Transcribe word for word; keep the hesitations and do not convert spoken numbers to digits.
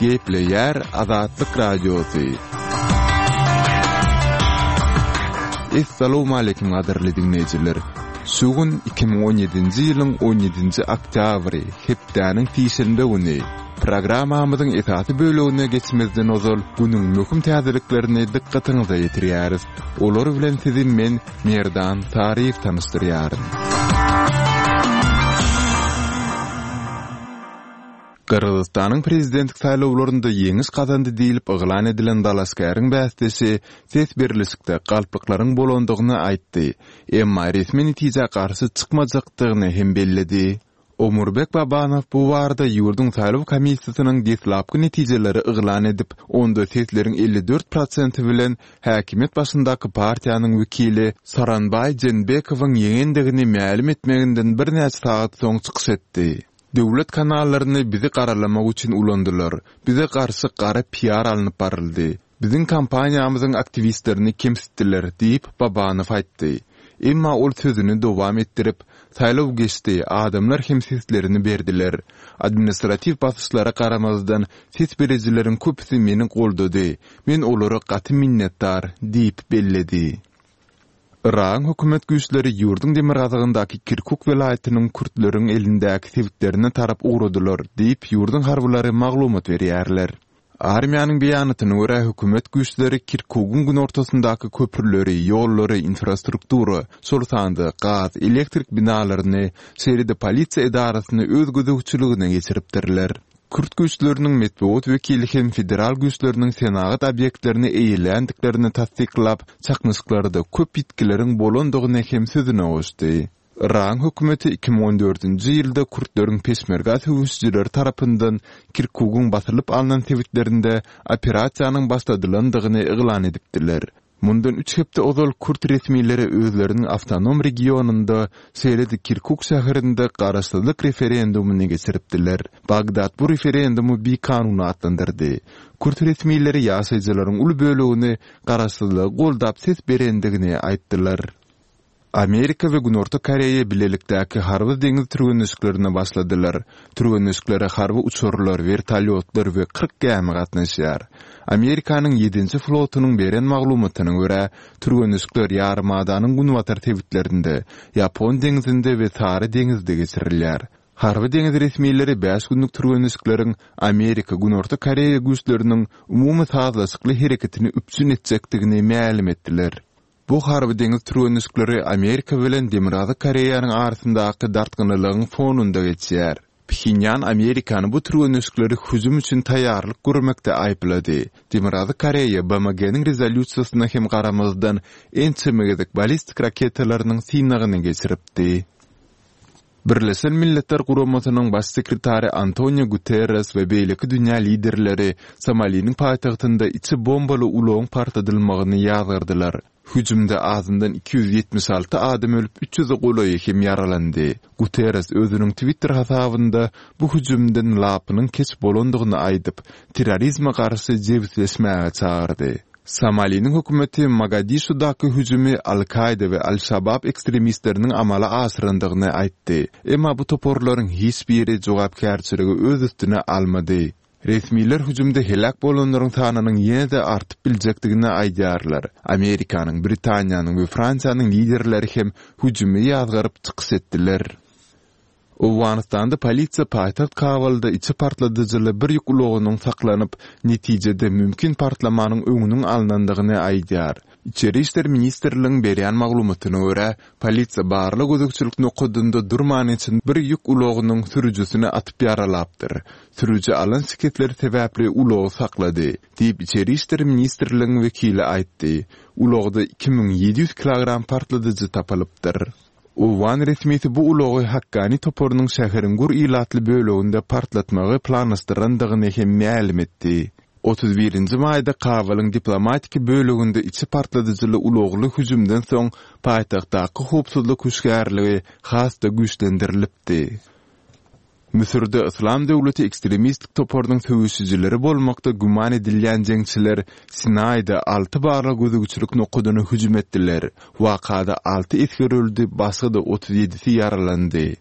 Gepleýär Azatlyk Radiosy. Essalawmaleýkim gadyrly diňleýjiler. Şu gün iki müň on ýedinji ýylyň on ýedinji oktýabry, hepdäniň sişenbe güni. Programmamyzyň esasy bölegine geçmezden ozal günüň möhüm täzeliklerini dykgatyňyza ýetirýäris. Olar bilen sizi men, Merdan Saryýew tanyşdyrýaryn. Gyrgyzystanyň prezidentlik saýlawlarynda ýeňiş gazandy diýlip yglan edilen dalaşgäriň bäsdeşi ses berlişikde galplyklaryň bolandygyny aýtdy, emma resmi netijä garşy çykmajakdygyny hem belledi. Omurbek Babanow bu barada ýurduň saýlaw komissiýasynyň deslapky netijeleri yglan edip, onda sesleriň elli dört prosenti bilen häkimiýet başyndaky partiýanyň wekili Soranbaý Jeenbekowyň ýeňendigini mälim etmeginden birnäçe sagat soň çykyş etdi. Döwlet kanallaryny bizi garalamak üçin ulandylar. Bize garşy gara piar alnyp baryldy. Biziň kompaniýamyzyň aktiwistlerini kemsitdiler diýip, Babanow aýtdy. Emma ol sözüni dowam etdirip, Saýlaw geçdi, adamlar hem seslerini berdiler. Administratiw basyşlara garamazdan, ses berijileriň köpüsi meni goldady. Men olara gaty minnetdar diýip belledi. Yragyň hökümet güýçleri ýurduň demirgazygyndaky Kirkuk welaýatynyň kürtleriň elindäki sebitlerine tarap ugradylar diýip, ýurduň harbylary maglumat berýärler. Armiýanyň beýanatyna görä, hökümet güýçleri Kirkugyň günortasyndaky köprüleri, ýollary, infrastruktura, şol sanda gaz, elektrik binalaryny, şeýle-de polisiýa edarasyny öz gözegçiligine geçiripdirler. Kürt güýçleriniň metbugat wekili hem federal güýçleriniň senagat obýektlerini eýeländiklerini tassyklap, çaknyşyklarda köp ýitgileriň bolandygyny hem sözüne goşdy. Yragyň hökümeti iki müň on dördünji ýylda kürtleriň peşmerga söweşijileri tarapyndan Kirkugyň basylyp alnan sebitlerinde operasiýanyň başladylandygyny yglan edipdiler. Mundan üç hepde ozal kürt resmileri özleriniň awtonom regionynda, şeýle-de Kirkuk şäherinde garaşsyzlyk referendumyny geçiripdiler. Bagdat bu referendumy bikanun atlandyrdy. Kürt resmileri ýaşaýjylaryň uly bölegini garaşsyzlygy goldap ses berendigini aýtdylar. Amerika we Günorta Koreýa bilelikdäki harby deňiz türgenleşiklerine başladylar. Türgenleşiklere harby uçarlar, wertolýotlar we kyrk gämi gatnaşýar. Amerikanyň ýedinji flotunyň beren maglumatyna görä, türgenleşikler ýarymadanyň günbatar sebitlerinde, Ýapon deňzinde we Sary deňizde geçirilýär. Harby deňiz resmileri bäş günlük türgenleşikleriň Amerika-Günorta Koreýa güýçleriniň umumy sazlaşykly hereketini üpjün etjekdigini mälim etdiler. Bu harby deňiz türgenleşikleri Amerika bilen Demirgazyk Koreýanyň arasyndaky dartgynlylygyň fonunda geçýär. Phenýan Amerikany bu türgenleşikleri hüjüm üçin taýýarlyk görmekde aýyplady. Demirgazyk Koreýa B M G-niň rezolýusiýasyna hem garamazdan ençeme gezek ballistik raketalarynyň synagyny geçiripdi. Birleşen Milletler Guramasynyň Baş sekretary Antonio Guterres we beýleki dünýä liderleri Somaliniň paýtagtynda içi bombaly ulagyň partladylmagyny ýazgardylar. Hüjümde azyndan iki ýüz ýetmiş alty adam ölüp, üç ýüze golaýy hem ýaralandy. Guterres özüniň Twitter hasabynda bu hüjümden lapynyň keç bolandygyny aýdyp, terrorizme garşy jebisleşmäge çagyrdy. Somaliniň hökümeti Mogadişudaky hüjümi Al-Kaýda we Al-Şabab ekstremistleriniň amala aşyrandygyny aýtdy. Emma bu toparlaryň hiç biri jogapkärçiligi öz üstüne almady. Resmiler hüjümde heläk bolanlaryň sanynyň ýene-de artyp biljekdigini aýdýarlar. Amerikanyň, Britaniýanyň we Fransiýanyň liderleri hem hüjümi ýazgaryp çykyş etdiler. Owganystanda polisiýa paýtagt Kabulda içi partladyjyly bir ýük ulagynyň saklanyp, netijede mümkin partlamanyň öňüniň alnandygyny aýdýar. Içeri işler ministrligiň berýän maglumatyna görä, polisiýa barlag gözegçilik nokadynda durman geçen bir ýük ulagynyň sürüjisini atyp ýaralapdyr. Sürüji alan şikesleri sebäpli ulagy saklady, diýip Içeri işler ministrligiň wekili aýtdy. Ulagda iki müň ýedi ýüz kilogram partladyjy tapylypdyr. Owgan resmisi bu ulagy Hakkani toparynyň şäheriň gür ilatly böleginde partlatmagy planlaşdyrandygyny hem mälim etdi. Otuz birinji maýda Kabulyň diplomatiki böleginde içi partladyjyly ulagly hüjümden soň paýtagtdaky howpsuzlyk hüşgärligi has-da güýçlendirilipdi. Müsürde Yslam döwleti ekstremistik toparynyň söweşijileri bolmakda güman edilýän jeňçiler Sinaýda alty barlag gözegçilik nokadyna hüjüm etdiler. Wakada alty esger öldi, başga-da otuz ýedisi ýaralandy.